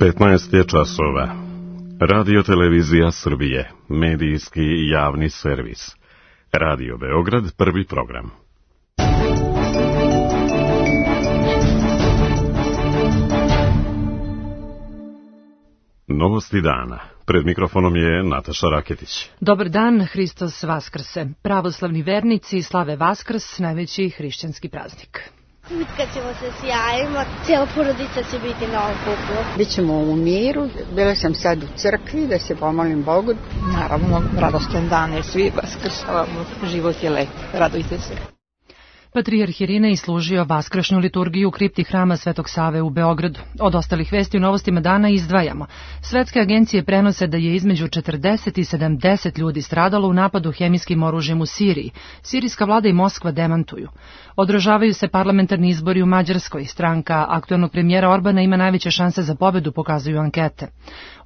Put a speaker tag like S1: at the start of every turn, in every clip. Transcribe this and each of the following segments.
S1: 15 je časova. Radio Televizija Srbije, medijski i javni servis. Radio Beograd, prvi program. Novosti dana. Pred mikrofonom je Nataša Raketić.
S2: Dobar dan, Hristos Vaskrse. Pravoslavni vernici slave Vaskrs, najveći hrišćanski praznik.
S3: Utkaćemo se sjajimo, cijela porodica će biti na okupu.
S4: Bićemo u miru, bila sam sad u crkvi da se pomolim Bogu.
S5: Naravno, radostan dan je, svi vaskrsavamo, život je lep, radujte se.
S2: Patrijarh Irinej služio vaskršnju liturgiju u kripti hrama Svetog Save u Beogradu. Od ostalih vesti u novostima dana izdvajamo. Svetske agencije prenose da je između 40 i 70 ljudi stradalo u napadu hemijskim oružjem u Siriji. Sirijska vlada i Moskva demantuju. Održavaju se parlamentarni izbori u Mađarskoj. Stranka aktuelnog premijera Orbana ima najveće šanse za pobedu, pokazuju ankete.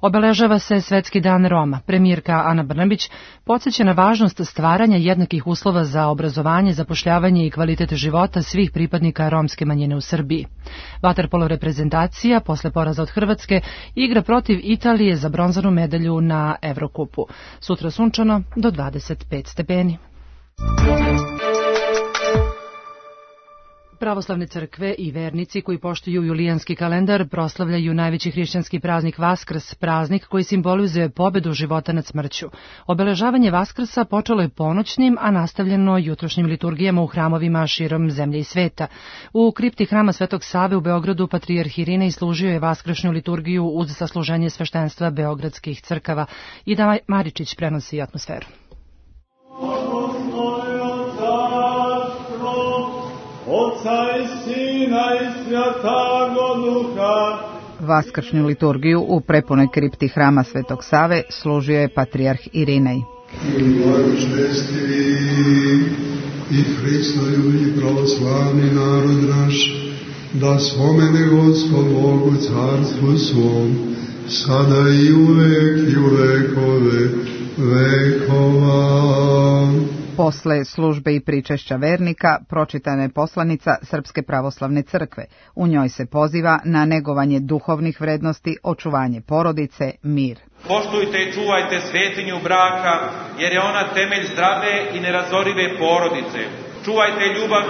S2: Obeležava se Svetski dan Roma. Premijerka Ana Brnabić podsjeća na važnost stvaranja jednakih uslova za obrazovanje, zapošljavanje i kvalitet života svih pripadnika romske manjine u Srbiji. Vaterpolo reprezentacija, posle poraza od Hrvatske, igra protiv Italije za bronzanu medalju na Evrokupu. Sutra sunčano do 25 stepeni. Pravoslavne crkve i vernici koji poštuju julijanski kalendar proslavljaju najveći hrišćanski praznik Vaskrs, praznik koji simbolizuje pobedu života nad smrću. Obeležavanje Vaskrsa počelo je ponoćnim, a nastavljeno jutrošnjim liturgijama u hramovima širom zemlje i sveta. U kripti hrama Svetog Save u Beogradu patrijarh Irinej služio je vaskršnju liturgiju uz sasluženje sveštenstva beogradskih crkava. Ida Maričić prenosi atmosferu.
S6: Oca i Sina i Svjatoga Duha.
S4: Vaskršnju liturgiju u prepunoj kripti hrama Svetog Save služio je patrijarh Irinej.
S7: Čestivi i Hristoju i pravoslavni narod naš, da spomene Gospod Bogu carstvu svom, sada i uvek i u vekove vekova.
S4: Posle službe i pričešća vernika pročitana je poslanica Srpske pravoslavne crkve. U njoj se poziva na negovanje duhovnih vrednosti, očuvanje porodice, mir.
S8: Poštujte i čuvajte svetinju braka, jer je ona temelj zdrave i nerazorive porodice. Čuvajte ljubav,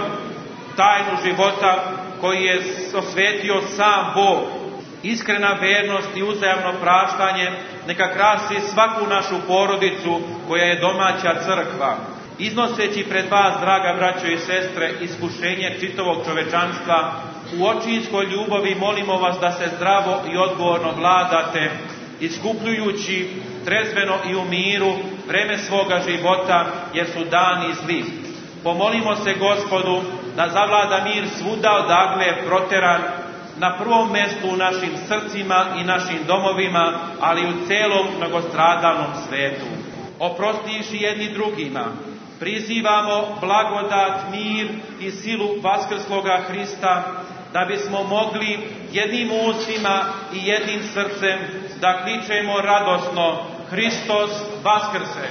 S8: tajnu života koji je osvetio sam Bog. Iskrena vernost i uzajamno praštanje neka krasi svaku našu porodicu koja je domaća crkva. Iznoseći pred vas, draga braćo i sestre, iskušenje čitavog čovečanstva, u očinskoj ljubavi molimo vas da se zdravo i odgovorno vladate, iskupljujući trezveno i u miru vreme svoga života, jer su dani zli. Pomolimo se Gospodu da zavlada mir svuda odakle je proteran, na prvom mestu u našim srcima i našim domovima, ali i u celom mnogostradalnom svetu. Oprostiši jedni drugima, prizivamo blagodat, mir i silu vaskrsloga Hrista, da bismo mogli jednim ustima i jednim srcem da kličemo radosno Hristos Vaskrse.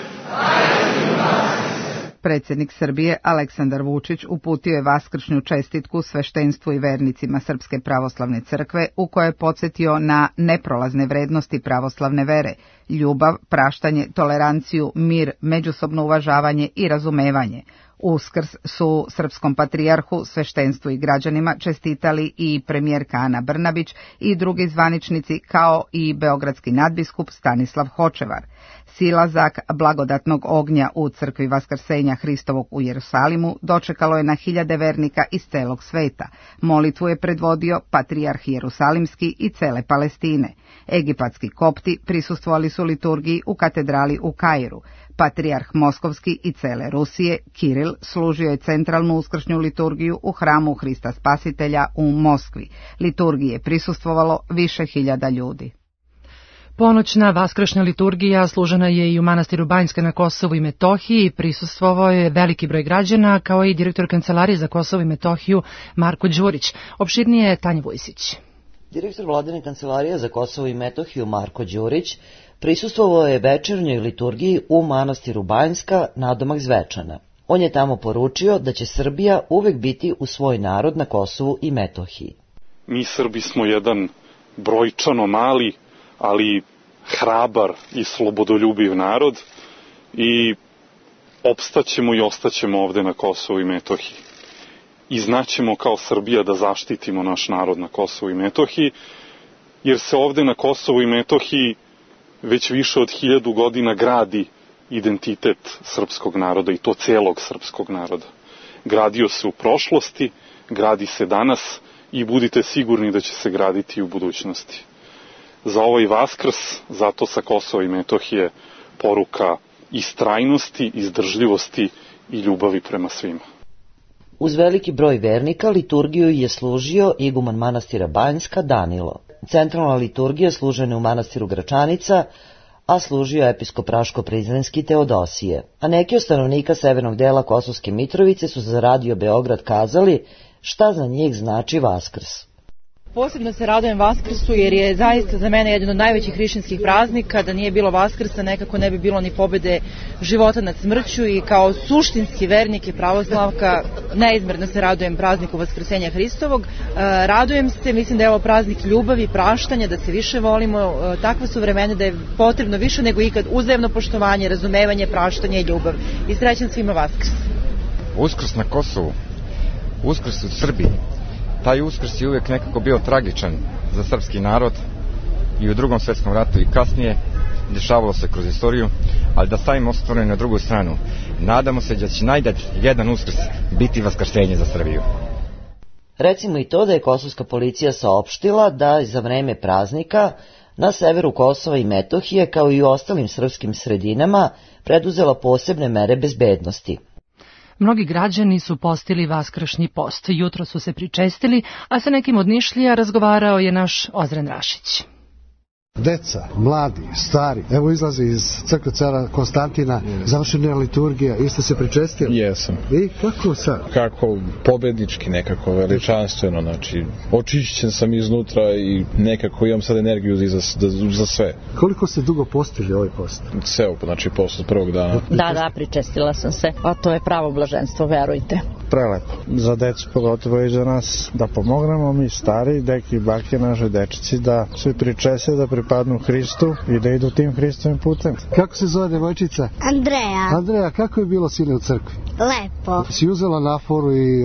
S4: Predsjednik Srbije Aleksandar Vučić uputio je vaskršnju čestitku sveštenstvu i vernicima Srpske pravoslavne crkve, u kojoj je podsjetio na neprolazne vrednosti pravoslavne vere, ljubav, praštanje, toleranciju, mir, međusobno uvažavanje i razumevanje. Uskrs su srpskom patrijarhu, sveštenstvu i građanima čestitali i premijerka Ana Brnabić i drugi zvaničnici, kao i beogradski nadbiskup Stanislav Hočevar. Silazak blagodatnog ognja u crkvi Vaskrsenja Hristovog u Jerusalimu dočekalo je na hiljade vernika iz celog sveta. Molitvu je predvodio patrijarh Jerusalimski i cele Palestine. Egipatski kopti prisustvovali su liturgiji u katedrali u Kairu. Patrijarh Moskovski i cele Rusije, Kiril, služio je centralnu uskršnju liturgiju u hramu Hrista Spasitelja u Moskvi. Liturgiji je prisustvovalo više hiljada ljudi.
S2: Ponoćna vaskršnja liturgija služena je i u manastiru Banjska na Kosovu i Metohiji. Prisustvovao je veliki broj građana, kao i direktor Kancelarije za Kosovo i Metohiju Marko Đurić. Opširnije je Tanja Vujsić.
S9: Direktor Vladine Kancelarije za Kosovo i Metohiju Marko Đurić prisustvovao je večernjoj liturgiji u manastiru Banjska nadomak Zvečana. On je tamo poručio da će Srbija uvek biti uz svoj narod na Kosovu i Metohiji.
S10: Mi Srbi smo jedan brojčano mali, ali hrabar i slobodoljubiv narod i opstaćemo i ostaćemo ovde na Kosovu i Metohiji. I znaćemo kao Srbija da zaštitimo naš narod na Kosovu i Metohiji, jer se ovde na Kosovu i Metohiji već više od 1000 godina gradi identitet srpskog naroda i to celog srpskog naroda. Gradio se u prošlosti, gradi se danas i budite sigurni da će se graditi i u budućnosti. Za ovaj Vaskrs, zato sa Kosova i Metohije poruka istrajnosti, izdržljivosti i ljubavi prema svima.
S9: Uz veliki broj vernika liturgiju je služio iguman manastira Banjska Danilo. Centralna liturgija služena u manastiru Gračanica, a služio episkop Raško-Prizrenski Teodosije. A neki od stanovnika severnog dela Kosovske Mitrovice su za Radio Beograd kazali šta za njih znači Vaskrs.
S11: Posebno se radujem Vaskrsu jer je zaista za mene jedan od najvećih hrišćanskih praznika. Da nije bilo Vaskrsa nekako ne bi bilo ni pobede života nad smrću i kao suštinski vernik i pravoslavka neizmerno se radujem prazniku Vaskrsenja Hristovog. Radujem se, mislim da je ovo praznik ljubavi, praštanja, da se više volimo. Takva su vremena da je potrebno više nego ikad uzajamno poštovanje, razumevanje, praštanje i ljubav. I srećan svima Vaskrs.
S12: Uskrs na Kosovu, Uskrs u Srbiji. Taj Uskrs je uvijek nekako bio tragičan za srpski narod i u Drugom svjetskom ratu i kasnije, dešavalo se kroz istoriju, ali da stavimo stvari na drugu stranu. Nadamo se da će najdat jedan Uskrs biti vaskrsenje za Srbiju.
S9: Recimo i to da je kosovska policija saopštila da za vreme praznika na severu Kosova i Metohije, kao i u ostalim srpskim sredinama, preduzela posebne mere bezbednosti.
S2: Mnogi građani su postili vaskršnji post. Jutro su se pričestili, a sa nekim od Nišlija razgovarao je naš Ozren Rašić.
S13: Deca, mladi, stari, evo izlazi iz crkve cara Konstantina, završena je liturgija, isto se pričestili?
S14: Jesam.
S13: I kako sad?
S14: Kako pobednički, nekako veličanstveno, znači očišćen sam iznutra i nekako imam sad energiju za sve.
S13: Koliko ste dugo postili ovaj post?
S14: Ceo, znači post od prvog dana.
S15: Da, pričestila sam se, a to je pravo blaženstvo, verujte.
S16: Prelepo. Za decu pogotovo i za nas da pomognemo, mi stari, deki i bake, naše dečici, da svi pričese, da pripadnu Hristu i da idu tim Hristovim putem.
S13: Kako se zove devojčica? Andreja, kako je bilo sine u crkvi?
S3: Lepo.
S13: Si uzela naforu i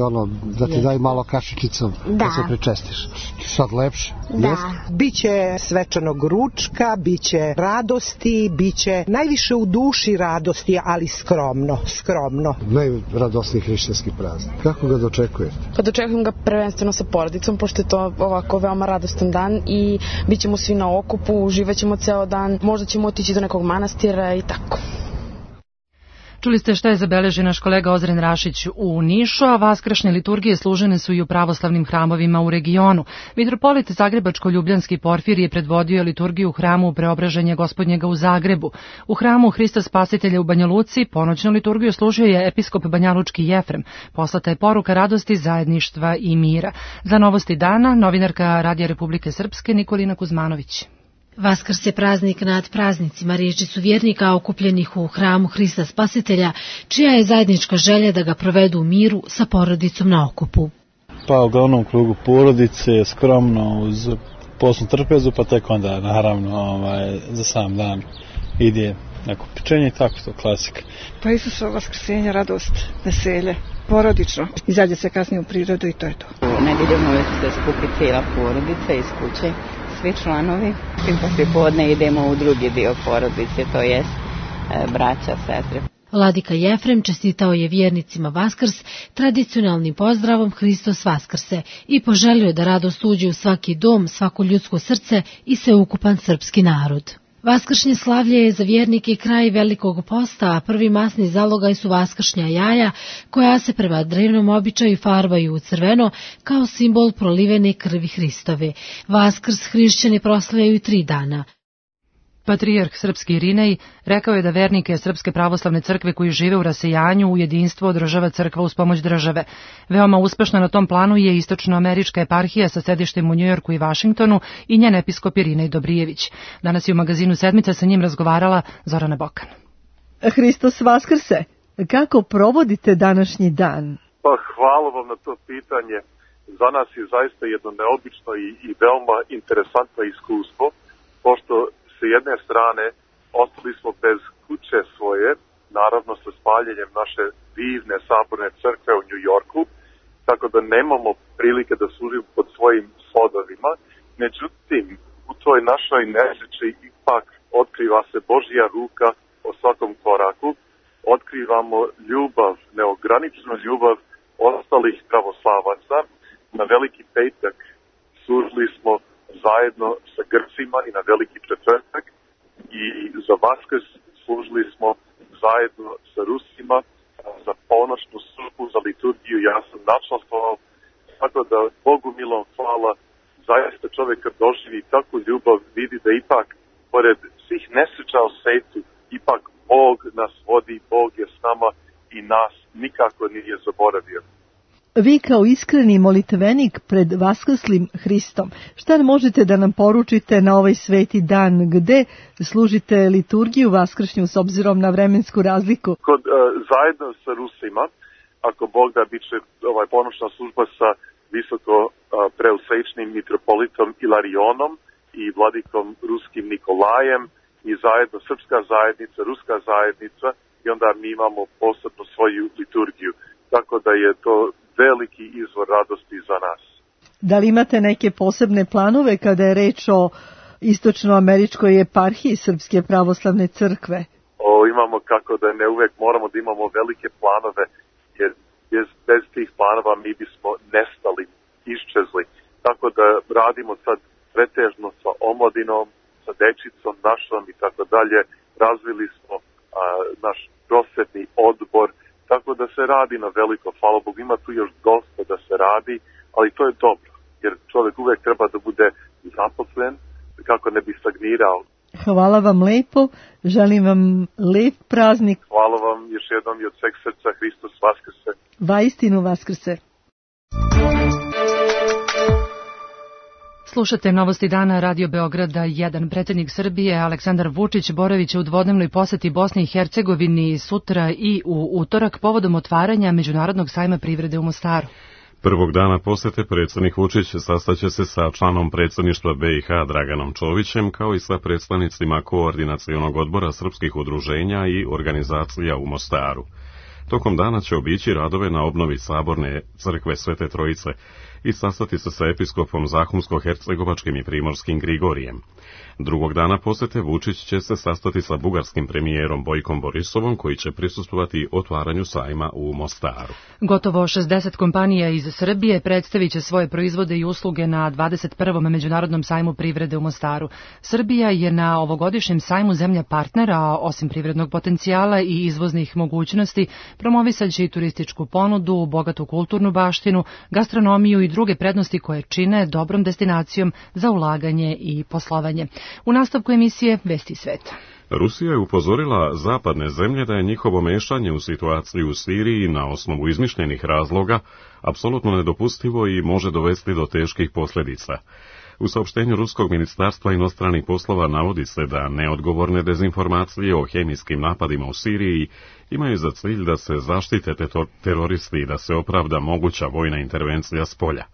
S13: da ti daj malo kašičicom da se pričestiš. Sad lepše?
S3: Da.
S17: Biće svečanog ručka, biće radosti, biće najviše u duši radosti, ali skromno.
S13: Najradosniji hrišćanski praznik. Kako ga dočekujete?
S18: Pa dočekujem ga prvenstveno sa porodicom, pošto je to ovako veoma radostan dan i bit ćemo svi na okupu, uživat ćemo ceo dan, možda ćemo otići do nekog manastira i tako.
S2: Čuli ste šta je zabeležio naš kolega Ozren Rašić u Nišu, a vaskršnje liturgije služene su i u pravoslavnim hramovima u regionu. Mitropolit Zagrebačko-Ljubljanski Porfir je predvodio liturgiju u hramu Preobraženja Gospodnjega u Zagrebu. U hramu Hrista Spasitelja u Banja Luci ponoćnu liturgiju služio je episkop banjalučki Jefrem. Poslata je poruka radosti, zajedništva i mira. Za novosti dana, novinarka Radija Republike Srpske Nikolina Kuzmanović.
S19: Vaskrs je praznik nad praznicima, riječi su vjernika okupljenih u hramu Hrista Spasitelja, čija je zajednička želja da ga provedu u miru sa porodicom na okupu.
S16: Pa uglavnom krugu porodice, skromno uz posnu trpezu, pa tek onda naravno za sam dan ide neko pečenje i tako to, klasika.
S5: Pa Isusovo vaskrsenje, radost, veselje, porodično. Izađe se kasnije u prirodu i to je to.
S20: Nedeljom uvijek se skupi cijela porodica iz kuće. Svi članovi i poslije podne idemo u drugi dio porodice, to jest braća, sestre.
S19: Vladika Jefrem čestitao je vjernicima Vaskrs tradicionalnim pozdravom Hristos Vaskrse i poželio da radost uđe u svaki dom, svako ljudsko srce i sveukupan srpski narod. Vaskršnje slavlje je za vjernike kraj Velikog posta, a prvi masni zalogaj su vaskršnja jaja, koja se prema drevnom običaju farbaju u crveno kao simbol prolivene krvi Hristove. Vaskrs hrišćani proslavljaju 3 dana.
S2: Patrijarh srpski Irinej rekao je da vernike Srpske pravoslavne crkve koji žive u rasejanju u jedinstvo održava crkva uz pomoć države. Veoma uspešna na tom planu je istočnoamerička eparhija sa sedištem u Njujorku i Vašingtonu i njen episkop Irinej Dobrijević. Danas je u magazinu Sedmica sa njim razgovarala Zorana Bokan.
S21: Hristos Vaskrse, kako provodite današnji dan?
S22: Pa hvala vam na to pitanje.
S21: za nas je zaista jedno neobično i veoma interesantno iskustvo, pošto s jedne strane ostali smo bez kuće svoje, naravno sa spaljenjem naše divne saborne crkve u New Yorku, tako da nemamo prilike da služimo pod svojim svodovima. Međutim, u toj našoj nesreći ipak otkriva se Božja ruka o svakom koraku, otkrivamo ljubav, neograničenu ljubav ostalih pravoslavaca. Na Veliki petak služili smo zajedno sa Grcima i na Veliki četvrtak i za Vaskrs služili smo zajedno sa Rusima za ponoćnu službu, za liturgiju. Ja sam načastvovao, tako da Bogu milom hvala, zaista čovjek kad doživi takvu ljubav vidi da ipak pored svih nesreća u svetu ipak Bog nas vodi, Bog je s nama i nas nikako nije zaboravio.
S22: Vi kao iskreni molitvenik pred vaskrslim Hristom, šta možete da nam poručite na ovaj sveti dan, gde služite liturgiju vaskršnju s obzirom na vremensku razliku?
S21: Zajedno sa Rusima, ako Bog da, bit će ponoćna služba sa visoko preusrećnim mitropolitom Ilarionom i vladikom ruskim Nikolajem i zajedno srpska zajednica, ruska zajednica i onda mi imamo posebno svoju liturgiju. Tako da je to veliki izvor radosti za nas.
S22: Da li imate neke posebne planove kada je reč o istočnoameričkoj eparhiji Srpske pravoslavne crkve?
S21: Imamo, kako da ne uvek moramo da imamo velike planove, jer bez tih planova mi bismo nestali, iščezli. Tako da radimo sad pretežno sa omladinom, sa dečicom našom i tako dalje. Razvili smo naš prosvetni odbor, tako da se radi na veliko, hvala Bogu, ima tu još dosta da se radi, ali to je dobro, jer čovjek uvek treba da bude zaposlen, kako ne bi stagnirao.
S22: Hvala vam lepo, želim vam lep praznik.
S21: Hvala vam još jednom i od sveg srca, Hristos vaskrse.
S22: Vaistinu vaskrse.
S2: Slušate Novosti dana Radio Beograda 1. Predsjednik Srbije Aleksandar Vučić boravit će u dvodnevnoj poseti Bosni i Hercegovini sutra i u utorak povodom otvaranja Međunarodnog sajma privrede u Mostaru.
S1: Prvog dana posete predsjednik Vučić sastaće se sa članom predsjedništva BiH Draganom Čovićem, kao i sa predstavnicima Koordinacionog odbora srpskih udruženja i organizacija u Mostaru. Tokom dana će obići radove na obnovi saborne crkve Svete Trojice i sastati se sa episkopom Zahumsko-hercegovačkim i primorskim Grigorijem. Drugog dana posete Vučić će se sastati sa bugarskim premijerom Bojkom Borisovom, koji će prisustvovati otvaranju sajma u Mostaru.
S2: Gotovo 60 kompanija iz Srbije predstavit će svoje proizvode i usluge na 21. Međunarodnom sajmu privrede u Mostaru. Srbija je na ovogodišnjem sajmu zemlja partnera, a osim privrednog potencijala i izvoznih mogućnosti, promovisat će i turističku ponudu, bogatu kulturnu baštinu, gastronomiju i druge prednosti koje čine dobrom destinacijom za ulaganje i poslovanje. U nastavku emisije Vesti sveta.
S1: Rusija je upozorila zapadne zemlje da je njihovo mešanje u situaciju u Siriji na osnovu izmišljenih razloga apsolutno nedopustivo i može dovesti do teških posljedica. U saopštenju Ruskog ministarstva inostranih poslova navodi se da neodgovorne dezinformacije o hemijskim napadima u Siriji imaju za cilj da se zaštite teroristi i da se opravda moguća vojna intervencija s polja.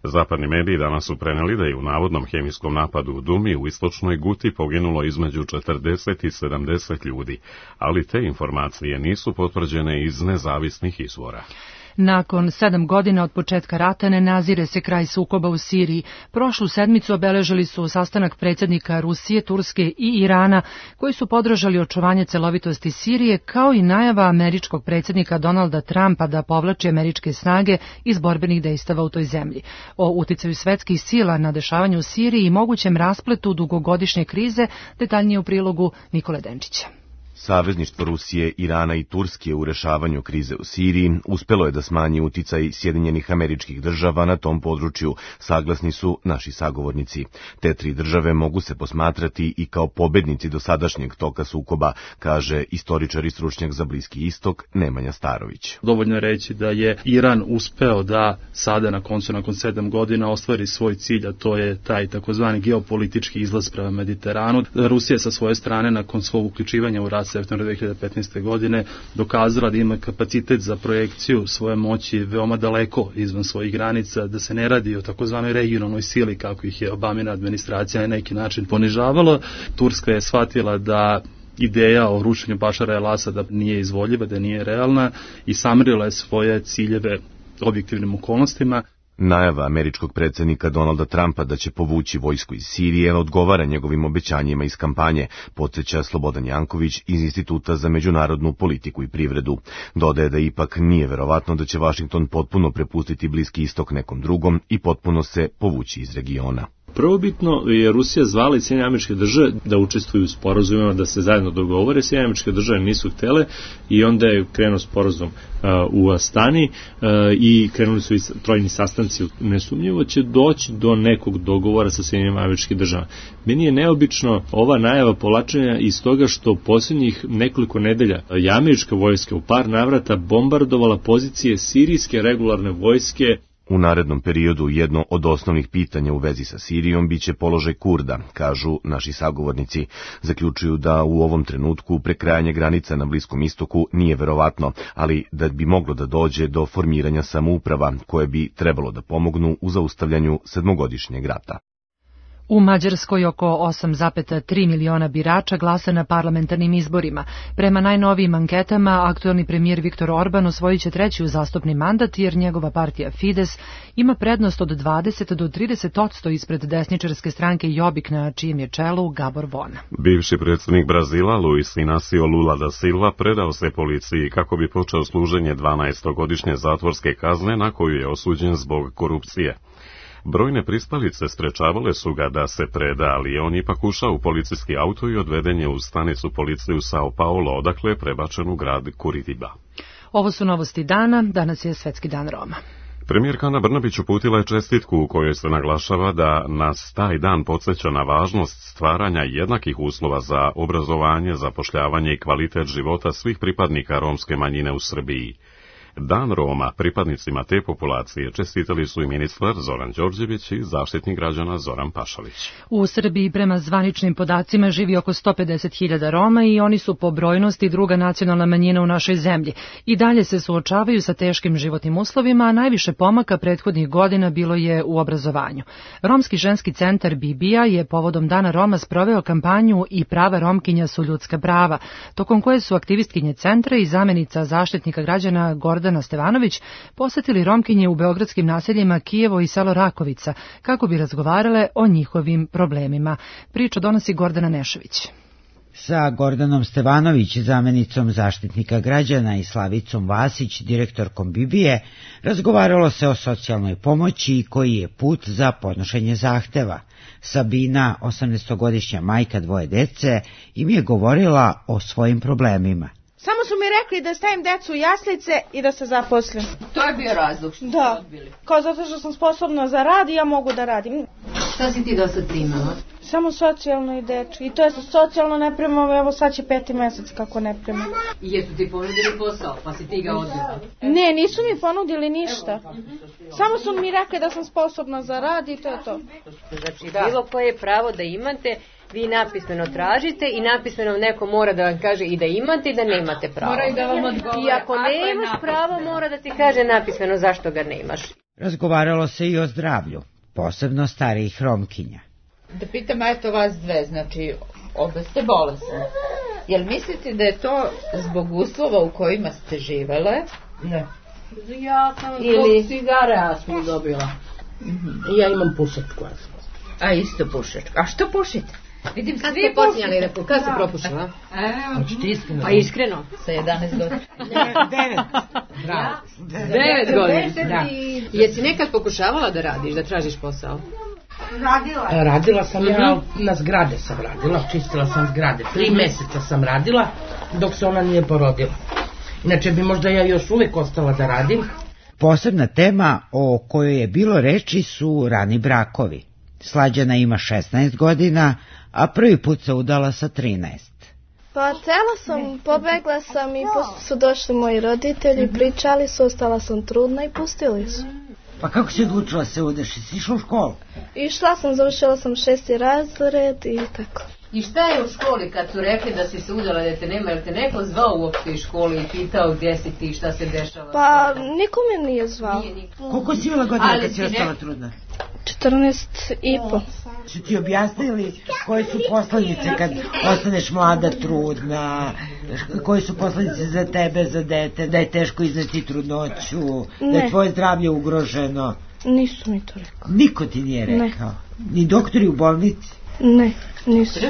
S1: Zapadni mediji danas su preneli da je u navodnom hemijskom napadu u Dumi u istočnoj Guti poginulo između 40 i 70 ljudi, ali te informacije nisu potvrđene iz nezavisnih izvora.
S2: Nakon 7 godina od početka rata ne nazire se kraj sukoba u Siriji. Prošlu sedmicu obeležili su sastanak predsjednika Rusije, Turske i Irana, koji su podržali očuvanje celovitosti Sirije, kao i najava američkog predsjednika Donalda Trumpa da povlači američke snage iz borbenih dejstava u toj zemlji. O uticaju svetskih sila na dešavanje u Siriji i mogućem raspletu dugogodišnje krize detaljnije u prilogu Nikole Denčića.
S23: Savezništvo Rusije, Irana i Turske u rešavanju krize u Siriji uspelo je da smanji uticaj Sjedinjenih Američkih Država na tom području, saglasni su naši sagovornici. Te tri države mogu se posmatrati i kao pobednici dosadašnjeg toka sukoba, kaže istoričar i stručnjak za Bliski istok Nemanja Starović.
S24: Dovoljno je reći da je Iran uspeo da sada na koncu, nakon 7 godina, ostvari svoj cilj, a to je taj takozvani geopolitički izlaz prema Mediteranu. Rusija sa svoje strane, nakon svog uključivanja u rat septembra 2015. godine dokazala da ima kapacitet za projekciju svoje moći veoma daleko izvan svojih granica, da se ne radi o takozvanoj regionalnoj sili kako ih je Obamina administracija na neki način ponižavala. Turska je shvatila da ideja o rušenju Bašara el-Asada nije izvodljiva, da nije realna i samerila je svoje ciljeve objektivnim okolnostima.
S23: Najava američkog predsjednika Donalda Trumpa da će povući vojsku iz Sirije odgovara njegovim obećanjima iz kampanje, podsjeća Slobodan Janković iz Instituta za međunarodnu politiku i privredu. Dodaje da ipak nije verovatno da će Vašington potpuno prepustiti Bliski istok nekom drugom i potpuno se povući iz regiona.
S4: Prvobitno je Rusija zvala i Sjedinjene Američke Države da učestvuju u sporazumima, da se zajedno dogovore. Sjedinjene Američke Države nisu htele i onda je krenuo sporazum u Astani i krenuli su i trojni sastanci. Nesumnjivo će doći do nekog dogovora sa Sjedinjenim Američkim Državama. Meni je neobično ova najava povlačenja iz toga što posljednjih nekoliko nedelja je američka vojska u par navrata bombardovala pozicije sirijske regularne vojske.
S23: U narednom periodu jedno od osnovnih pitanja u vezi sa Sirijom biće položaj Kurda, kažu naši sagovornici. Zaključuju da u ovom trenutku prekrajanje granica na Bliskom istoku nije verovatno, ali da bi moglo da dođe do formiranja samouprava koje bi trebalo da pomognu u zaustavljanju sedmogodišnjeg rata.
S2: U Mađarskoj oko 8,3 miliona birača glasa na parlamentarnim izborima. Prema najnovijim anketama, aktuelni premijer Viktor Orban osvojit će treći uzastopni mandat jer njegova partija Fides ima prednost od 20 do 30% ispred desničarske stranke Jobbik na čijem je čelu Gabor Vona.
S1: Bivši predsjednik Brazila Luis Inácio Lula da Silva predao se policiji kako bi počeo služenje 12-godišnje zatvorske kazne na koju je osuđen zbog korupcije. Brojne pristalice sprečavale su ga da se preda, ali on ipak ušao u policijski auto i odveden je u stanicu policije u Sao Paulo, odakle je prebačen u grad Curitiba.
S2: Ovo su novosti dana, danas je Svetski dan Roma.
S1: Premijerka Ana Brnabić uputila je čestitku u kojoj se naglašava da nas taj dan podsjeća na važnost stvaranja jednakih uslova za obrazovanje, zapošljavanje i kvalitet života svih pripadnika romske manjine u Srbiji. Dan Roma pripadnicima te populacije čestitali su i ministar Zoran Đorđević i zaštitnik građana Zoran Pašalić.
S2: U Srbiji prema zvaničnim podacima živi oko 150.000 Roma i oni su po brojnosti druga nacionalna manjina u našoj zemlji. I dalje se suočavaju sa teškim životnim uslovima, a najviše pomaka prethodnih godina bilo je u obrazovanju. Romski ženski centar Bibija je povodom Dana Roma sproveo kampanju I prava Romkinja su ljudska prava, tokom koje su aktivistkinje centra i zamenica zaštitnika građana Gordana Stevanović posetili Romkinje u beogradskim naseljima Kijevo i selo Rakovica kako bi razgovarale o njihovim problemima. Priču donosi Gordana Nešović.
S6: Sa Gordanom Stevanović, zamenicom zaštitnika građana i Slavicom Vasić, direktorkom Bibije, razgovaralo se o socijalnoj pomoći i koji je put za podnošenje zahteva. Sabina, 18-godišnja majka dvoje dece, im je govorila o svojim problemima.
S7: Samo su mi rekli da stavim decu u jaslice i da se zaposlim.
S8: To je bio razlog što ste odbili?
S7: Kao zato što sam sposobna za rad i ja mogu da radim.
S8: Šta si ti do sad primala?
S7: Samo socijalno i dečko. I to je socijalno ne primam, evo sad će 5. mesec kako ne primam.
S8: I jesu ti ponudili posao, pa si ti ga odbila?
S7: Ne, nisu mi ponudili ništa. Samo su mi rekli da sam sposobna za rad i to je to.
S8: Znači, bilo koje pravo da imate, vi napismeno tražite i napismeno neko mora da vam kaže i da imate i da nemate pravo. Mora i da vam odgovore. I ako nemaš pravo, mora da ti kaže napismeno zašto ga nemaš.
S6: Razgovaralo se i o zdravlju, posebno starijih Romkinja.
S8: Da pitam, eto vas dve, znači obe ste bolesne. Jel mislite da je to zbog uslova u kojima ste živele? Ne. Ja sam zbog cigare smo dobila.
S25: Ja imam pušačku astmu.
S8: A isto pušačku. A što pušite? Vidim, kad ste počinjali da kad ste propušila? Pa iskreno, sa 11 godina.
S6: 9.
S8: Bravo. 9 godina. Jesi nekad pokušavala da radiš, da tražiš posao?
S25: Radila sam ja, na zgrade sam radila, čistila sam zgrade. 3 meseca sam radila dok se ona nije porodila. Inače bi možda ja još uvijek ostala da radim.
S6: Posebna tema o kojoj je bilo reči su rani brakovi. Slađana ima 16 godina, a prvi put se udala sa 13.
S3: Pa htjela sam, pobegla sam i su došli moji roditelji, pričali su, ostala sam trudna i pustili su.
S6: Pa kako si odlučila se udeš? Si išla u školu?
S3: Išla sam, završila sam 6. razred i tako.
S9: I šta je u školi kad su rekli da si se udala da te nema, jer te neko zvao uopšte iz škole i pitao gdje si ti, šta se dešava?
S3: Pa niko me nije zvao.
S6: Koliko si imala godina kad si ostala trudna?
S3: 14,5.
S6: Su ti objasnili koje su posledice kad ostaneš mlada trudna, koje su posledice za tebe, za dete, da je teško izneti trudnoću, da je tvoje zdravlje ugroženo?
S3: Nisu mi to rekao.
S6: Niko ti nije rekao? Ni doktori u bolnici?
S3: Ne, nisu.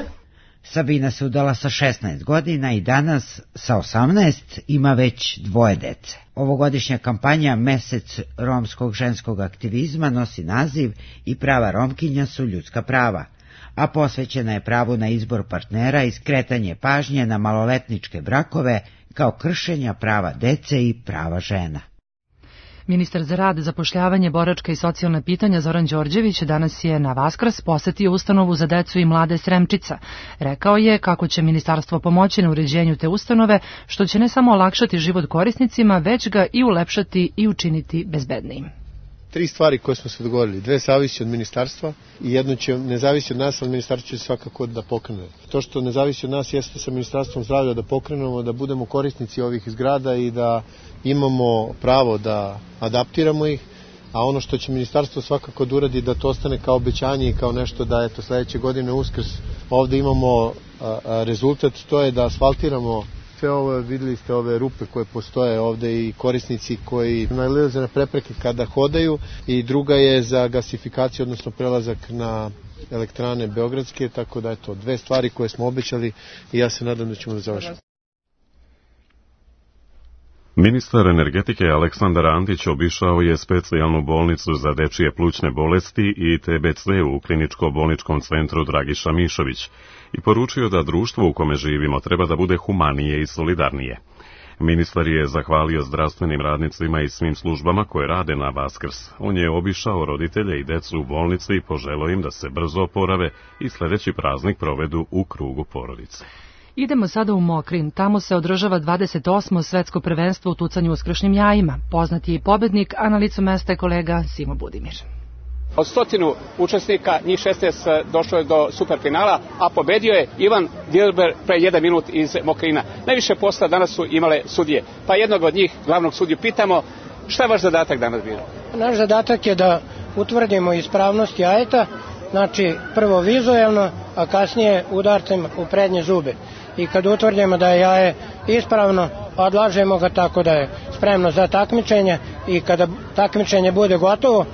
S6: Sabina se udala sa 16 godina i danas sa 18 ima već 2 dece. Ovogodišnja kampanja Mesec romskog ženskog aktivizma nosi naziv I prava Romkinja su ljudska prava, a posvećena je pravu na izbor partnera i skretanje pažnje na maloletničke brakove kao kršenja prava dece i prava žena.
S2: Ministar za rad, zapošljavanje, boračka i socijalna pitanja Zoran Đorđević danas je na Vaskrs posetio ustanovu za decu i mlade Sremčica. Rekao je kako će ministarstvo pomoći na uređenju te ustanove, što će ne samo olakšati život korisnicima, već ga i ulepšati i učiniti bezbednijim.
S10: 3 stvari koje smo se dogovorili. 2 zavisi od ministarstva i jedno će ne zavisi od nas, ali ministarstvo će svakako da pokrene. To što ne zavisi od nas jeste sa ministarstvom zdravlja da pokrenemo, da budemo korisnici ovih zgrada i da imamo pravo da adaptiramo ih, a ono što će ministarstvo svakako da uradi da to ostane kao obećanje i kao nešto da eto sledeće godine Uskrs ovde imamo rezultat, to je da asfaltiramo sve ovo, videli ste ove rupe koje postoje ovde i korisnici koji nailaze na prepreke kada hodaju, i druga je za gasifikaciju, odnosno prelazak na elektrane beogradske, tako da je to 2 stvari koje smo obećali i ja se nadam da ćemo da završiti.
S1: Ministar energetike Aleksandar Antić obišao je specijalnu bolnicu za dečije plućne bolesti i TBC u kliničko-bolničkom centru Dragiša Mišović i poručio da društvo u kome živimo treba da bude humanije i solidarnije. Ministar je zahvalio zdravstvenim radnicima i svim službama koje rade na Vaskrs. On je obišao roditelje i decu u bolnici i poželio im da se brzo oporave i sljedeći praznik provedu u krugu porodice.
S2: Idemo sada u Mokrin. Tamo se održava 28. svetsko prvenstvo u tucanju uskršnjim jajima. Poznat je i pobednik, a na licu mesta je kolega Simo Budimir.
S11: Od 100 učesnika, njih 16 došlo je do superfinala, a pobedio je Ivan Dilber pre 1 minut iz Mokrina. Najviše posla danas su imale sudije. Pa jednog od njih, glavnog sudiju, pitamo šta je vaš zadatak danas bio?
S12: Naš zadatak je da utvrdimo ispravnost jajeta, znači prvo vizuelno, a kasnije udarcem u prednje zube. I kad utvrdimo da je jaje ispravno, odlažemo ga tako da je spremno za takmičenje, i kada takmičenje bude gotovo,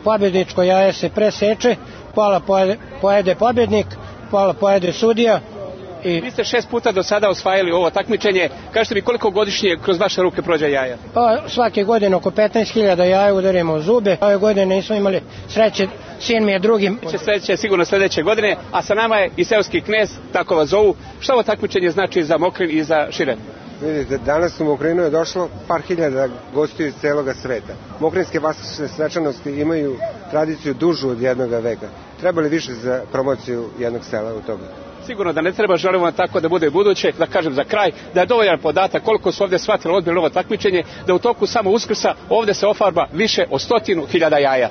S12: pobjedničko jaje se preseče, pola pojede pobjednik, pola pojede sudija.
S11: Vi ste 6 puta do sada osvajali ovo takmičenje. Kažete mi koliko godišnje kroz vaše ruke prođe jaja?
S12: Pa svake godine oko 15.000 jaja udarimo u zube. Ove godine nismo imali sreće, sin mi je drugi.
S11: Sledeće sigurno sledeće godine, a sa nama je i seoski knez, tako vas zovu. Šta ovo takmičenje znači za Mokrin i za šire?
S14: Vidite, danas u Mokrinu je došlo par hiljada gostiju iz celoga sveta. Mokrinske vaskršnje svečanosti imaju tradiciju dužu od 1 veka. Treba li više za promociju jednog sela u toga?
S11: Sigurno da ne treba, želimo tako da bude i buduće. Da kažem za kraj, da je dovoljan podatak koliko su ovdje shvatili ozbiljno ovo takmičenje, da u toku samo Uskrsa ovdje se ofarba više od 100.000 jaja.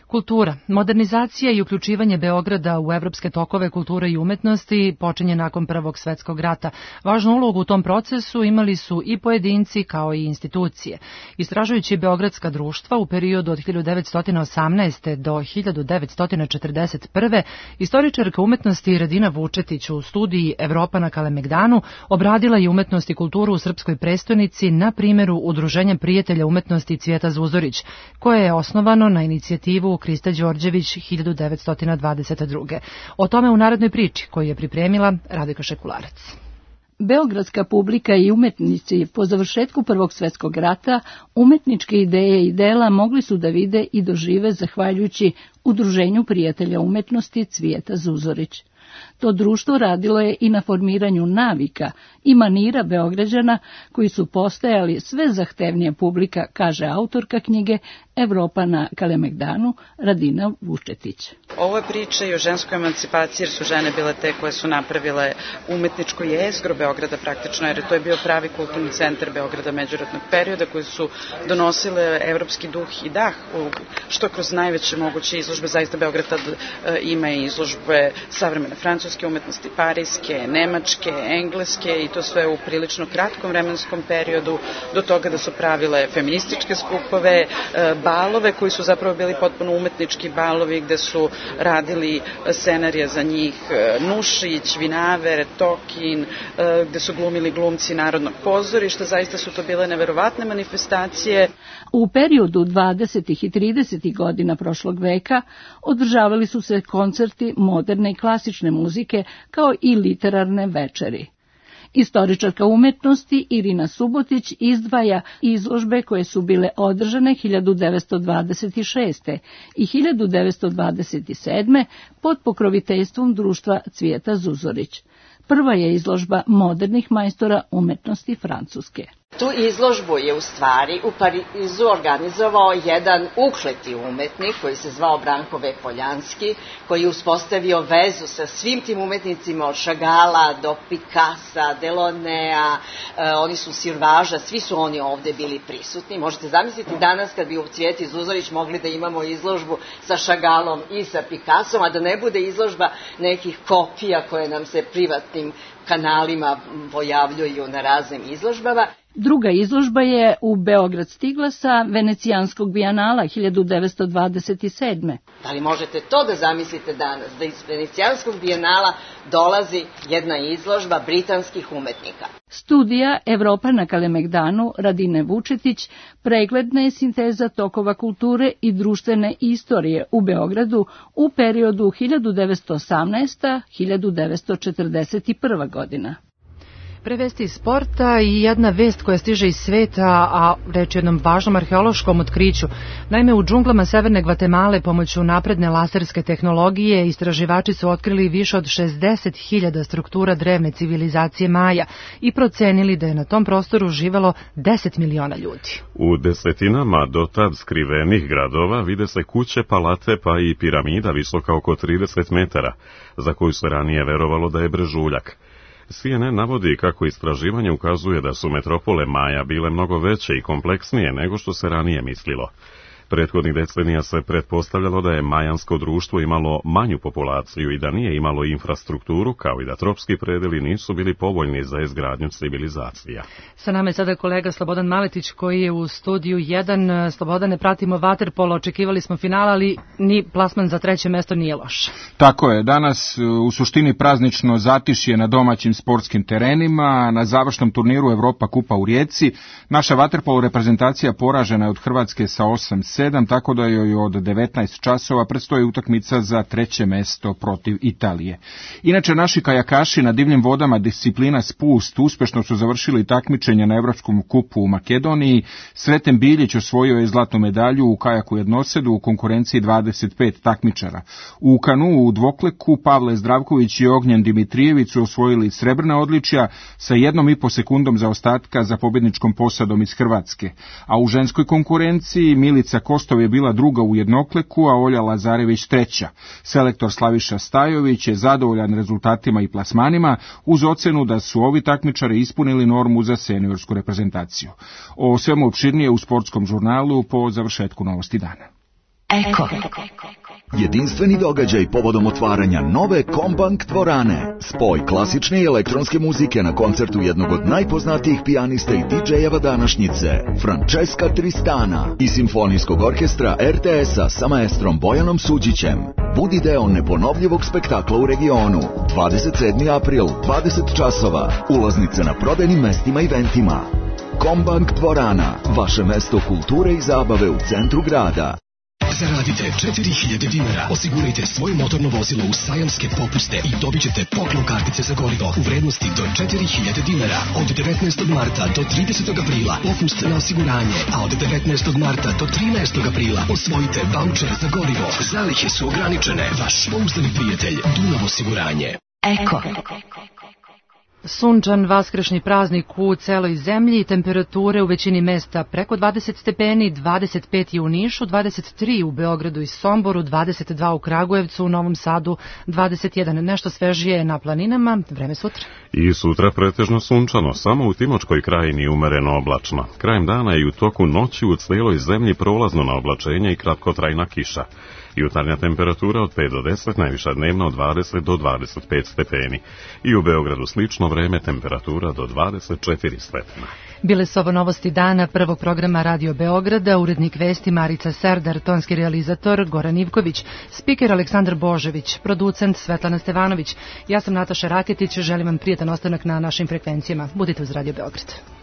S2: Kultura. Modernizacija i uključivanje Beograda u evropske tokove kulture i umetnosti počinje nakon Prvog svetskog rata. Važnu ulogu u tom procesu imali su i pojedinci kao i institucije. Istražujući beogradska društva u periodu od 1918. do 1941. istoričarka umetnosti Radina Vučetić u studiji Evropa na Kalemegdanu obradila je umetnost i kulturu u srpskoj prestonici na primjeru Udruženja prijatelja umetnosti Cvijeta Zuzorić, koje je osnovano na inicijativu Krista Đorđević 1922. O tome u narednoj priči koju je pripremila Radojka Šekularac.
S26: Beogradska publika i umetnici po završetku Prvog svetskog rata umetničke ideje i dela mogli su da vide i dožive zahvaljujući Udruženju prijatelja umetnosti Cvijeta Zuzorić. To društvo radilo je i na formiranju navika i manira Beograđana koji su postajali sve zahtevnija publika, kaže autorka knjige Evropa na Kalemegdanu Radina Vučetić.
S5: ovoj priči i o ženskoj emancipaciji, jer su žene bile te koje su napravile umetničko jezgro Beograda praktično, jer to je bio pravi kulturni centar Beograda međuratnog perioda, koji su donosile evropski duh i dah, što kroz najveće moguće izložbe. Zaista Beograd tad ima i izložbe savremene francuske umetnosti, parijske, nemačke, engleske, i to sve u prilično kratkom vremenskom periodu, do toga da su pravile feminističke skupove, balove koji su zapravo bili potpuno umetnički balovi, gde su radili scenarije za njih Nušić, Vinaver, Tokin, gde su glumili glumci Narodnog pozorišta. Zaista su to bile neverovatne manifestacije.
S26: U periodu 20. i 30. godina prošlog veka održavali su se koncerti moderne i klasične muzike, kao i literarne večeri. Istoričarka umetnosti Irina Subotić izdvaja izložbe koje su bile održane 1926. i 1927. pod pokroviteljstvom društva Cvijeta Zuzorić. Prva je izložba modernih majstora umetnosti Francuske.
S13: Tu izložbu je u stvari u Parizu organizovao jedan ukleti umetnik koji se zvao Branko V. Poljanski, koji je uspostavio vezu sa svim tim umetnicima od Šagala do Picassa, Delonea, oni su Sirvaža, svi su oni ovde bili prisutni. Možete zamisliti danas kad bi u Cvijeti Zuzorić mogli da imamo izložbu sa Šagalom i sa Picassom, a da ne bude izložba nekih kopija koje nam se privatnim kanalima pojavljuju na raznim izložbama.
S26: Druga izložba je u Beograd stigla sa Venecijanskog bijenala 1927.
S13: Da li možete to da zamislite danas, da iz Venecijanskog bijenala dolazi jedna izložba britanskih umetnika?
S26: Studija Evropa na Kalemegdanu Radine Vučetić pregledna je sinteza tokova kulture i društvene istorije u Beogradu u periodu 1918-1941. godina.
S2: Prevesti iz sporta i jedna vest koja stiže iz sveta, a reč je o jednom važnom arheološkom otkriću. Naime, u džunglama Severne Gvatemale pomoću napredne laserske tehnologije istraživači su otkrili više od 60.000 struktura drevne civilizacije Maja i procenili da je na tom prostoru živelo 10 miliona ljudi.
S1: U desetinama do tad skrivenih gradova vide se kuće, palate pa i piramida visoka oko 30 metara, za koju se ranije verovalo da je brežuljak. CNN navodi kako istraživanje ukazuje da su metropole Maja bile mnogo veće i kompleksnije nego što se ranije mislilo. Prethodnih decenija se pretpostavljalo da je majansko društvo imalo manju populaciju i da nije imalo infrastrukturu, kao i da tropski predeli nisu bili povoljni za izgradnju civilizacija.
S2: Sa nama je sada kolega Slobodan Maletić koji je u studiju 1. Slobodane, pratimo vaterpolo, očekivali smo finala, ali ni plasman za treće mesto nije loš.
S15: Tako je, danas u suštini praznično zatišje na domaćim sportskim terenima, na završnom turniru Evropa kupa u Rijeci. Naša vaterpolo reprezentacija poražena je od Hrvatske sa 8-7, tako da joj od 19 časova predstoji utakmica za treće mesto protiv Italije. Inače, naši kajakaši na divljim vodama disciplina spust uspešno su završili takmičenja na Evropskom kupu u Makedoniji. Sreten Biljić osvojio je zlatnu medalju u kajaku jednosedu u konkurenciji 25 takmičara. U kanu u dvokleku Pavle Zdravković i Ognjen Dimitrijević su osvojili srebrna odličja sa 1,5 sekundom zaostatka za pobjedničkom posadom iz Hrvatske. A u ženskoj konkurenciji Milica Kostov je bila druga u jednokleku, a Olja Lazarević treća. Selektor Slaviša Stajović je zadovoljan rezultatima i plasmanima, uz ocenu da su ovi takmičari ispunili normu za seniorsku reprezentaciju. O svemu opširnije u sportskom žurnalu po završetku novosti dana.
S16: Eko. Jedinstveni događaj povodom otvaranja nove Kombank dvorane. Spoj klasične i elektronske muzike na koncertu jednog od najpoznatijih pijanista i DJ-eva današnjice, Francesca Tristana, i simfonijskog orkestra RTS-a sa maestrom Bojanom Suđićem. Budi deo neponovljivog spektakla u regionu. 27. april, 20 časova. Ulaznice na prodajnim mestima i eventima. Kombank dvorana, vaše mesto kulture i zabave u centru grada.
S17: Zaradite 4000 dinara, osigurajte svoje motorno vozilo u sajamske popuste i dobit ćete poklon kartice za gorivo u vrednosti do 4000 dinara. Od 19. marta do 30. aprila popust na osiguranje, a od 19. marta do 13. aprila osvojite vaučer za gorivo. Zalihe su ograničene. Vaš pouzdani prijatelj Dunav osiguranje.
S16: Eko.
S2: Sunčan vaskršnji praznik u celoj zemlji, temperature u većini mesta preko 20 stepeni, 25 je u Nišu, 23 u Beogradu i Somboru, 22 u Kragujevcu, u Novom Sadu, 21 nešto svežije na planinama, vreme sutra.
S1: I sutra pretežno sunčano, samo u Timočkoj krajini umereno oblačno. Krajem dana i u toku noći u cijeloj zemlji prolazno na oblačenje i kratkotrajna kiša. Jutarnja temperatura od 5 do 10, najviša dnevna od 20 do 25 stepeni. I u Beogradu slično vreme, temperatura do 24 stepena.
S2: Bile su ovo novosti dana prvog programa Radio Beograda, urednik vesti Marica Serdar, tonski realizator Goran Ivković, spiker Aleksandar Božević, producent Svetlana Stevanović. Ja sam Nataša Raketić, želim vam prijetan ostanak na našim frekvencijama. Budite uz Radio Beograd.